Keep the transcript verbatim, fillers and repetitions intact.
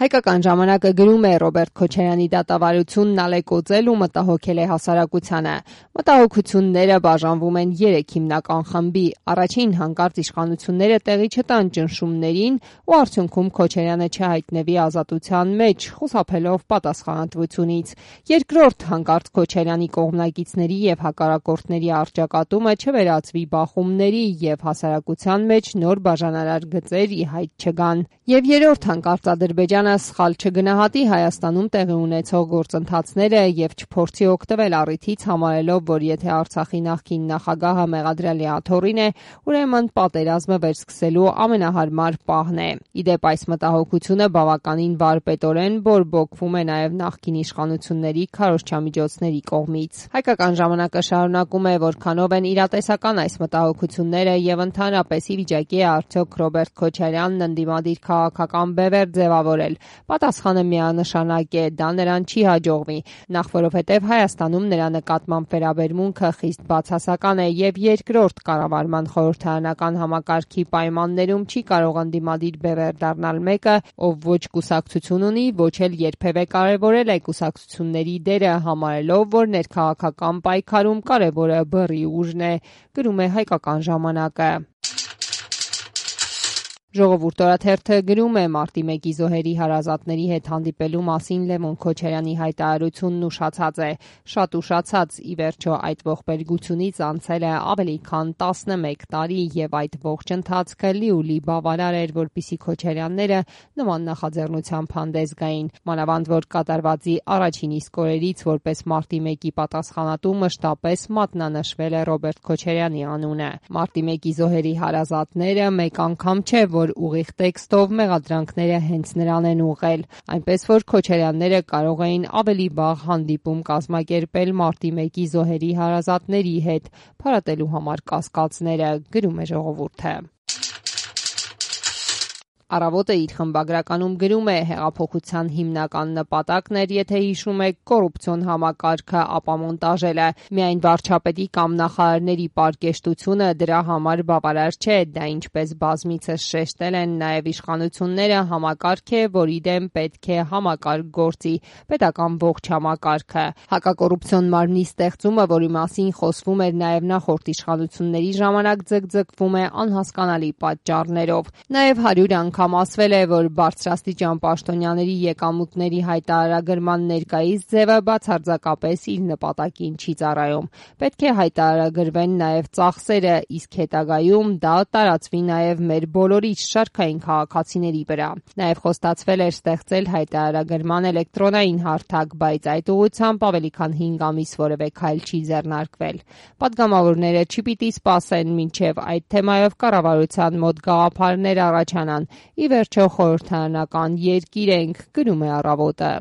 Հայկական ժամանակը գրում է Ռոբերտ Քոչարյանի դատավարությունն ալեկոծել ու մտահոգել է հասարակությանը։ Մտահոգությունները բաժանվում են երեք հիմնական խմբի։ Առաջին հանկարծ իշխանությունները տեղի չտան ճնշումներին ու արդյունքում Քոչարյանը չհայտնվի ազատության մեջ, խուսափելով պատասխանատվությունից։ Երկրորդ հանկարծ Քոչարյանի կողմնակիցների եւ հակառակորդների առճակատումը չվերածվի բախումների եւ հասարակության մեջ նոր բաժանարար գծեր ի հայտ չգան։ Եվ երրորդ հանկարծ Ադրբեջանը սխալ չգնահատի Հայաստանում տեղի ունեցող գործընթացները եւ չփորձի օգտվել առիթից, համարելով, որ եթե Արցախի նախկին նախագահը մեղադրելի աթոռին է, ուրեմն պատերազմը վերսկսելու ամենահարմար պահն է։ Իդեպ այս մտահոգությունը բավականին վարպետորեն բորբոքվում է նաեւ նախկին իշխանությունների քարոզչամիջոցների կողմից։ Հայկական ժամանակը շարունակում է, որքանով են իրատեսական այս մտահոգությունները եւ ընդհանրապես ի վիճակի է արդյոք Ռոբերտ Քոչարյանն ընդդիմադիր քաղաքական բևեռ ձևավորել։ Պատասխանը միանշանակ է, դա նրան չի հաջողվի, նախ որովհետև Հայաստանում նրա նկատմամբ վերաբերմունքը խիստ բացասական է եւ երկրորդ կառավարման խորհրդարանական համակարգի պայմաններում չի կարող ընդդիմադիր բևեռ դառնալ մեկը, ով ոչ կուսակցություն ունի, ոչ էլ երբևէ կարևորել է կուսակցությունների դերը, համարելով, որ ներքաղաքական պայքարում կարևորը բռի ուժն է, գրում է Հայկական ժամանակը։ Ժողովուրդ օրաթերթը գրում է մարտի մեկի զոհերի հարազատների հետ հանդիպելու մասին Լևոն Քոչարյանի հայտարարությունն ուշացած է, շատ ուշացած, ի վերջո այդ ողբերգությունից անցել է ավելի քան տասնմեկ տարի եւ այդ ողջ ընթացքը լիուլի բավարար էր, որպեսզի Քոչարյանները նման նախաձեռնությամբ հանդես գային, մանավանդ որ կատարվածի առաջին իսկ օրերից որպես մարտի մեկի պատասխանատու մշտապես մատնանշվել է Ռոբերտ Քոչարյանի անունը։ Մարտի մեկի զոհերի հարազատները մեկ անգամ չէ, որ ուղիղ տեքստով մեղադրանքները հենց նրան են ուղղել, այնպես որ Քոչարյանները կարող էին ավելի վաղ հանդիպում կազմակերպել մարտի մեկի զոհերի հարազատների հետ, փարատելու համար կասկածները, գրում է Ժողովուրդը։ Առավոտը իր խմբագրականում գրում է հեղափոխության հիմնական նպատակն էր, եթե հիշում եք, կոռուպցիոն համակարգը ապամոնտաժելը, միայն վարչապետի կամ նախարարների պարկեշտությունը դրա համար բավարար չէ, դա ինչպես բազմիցս շեշտել են նաև իշխանությունները, համակարգ է, որի դեմ պետք է համակարգ գործի, պետական ողջ համակարգը։ Հակակոռուպցիոն մարմնի ստեղծումը, որի մասին խոսվում էր նաև նախորդ իշխանությունների ժամանակ, ձգձգվում է անհասկանալի պատճառներով։ Նաև հարյուր անգամ ասվել է, որ բարձրաստիճան պաշտոնյաների եկամուտների հայտարարագրման ներկայիս ձևը բացարձակապես իր նպատակին չի ծառայում։ Պետք է հայտարարագրվեն նաև ծախսերը, իսկ հետագայում դա տարածվի նաև մեր բոլորից շարքային քաղաքացիների վրա։ Նաև խոստացվել էր ստեղծել հայտարարագրման էլեկտրոնային հարթակ, բայց այդ ուղղությամբ ավելի քան հինգ ամիս որևէ քայլ չի ձեռնարկվել։ Պատգամավորները չպիտի սպասեն, մինչև այդ թեմայով կառավարության մոտ գաղափարներ առաջանան։ Ի վերջո խորհրդարանական երկիր ենք, գրում է Առավոտը։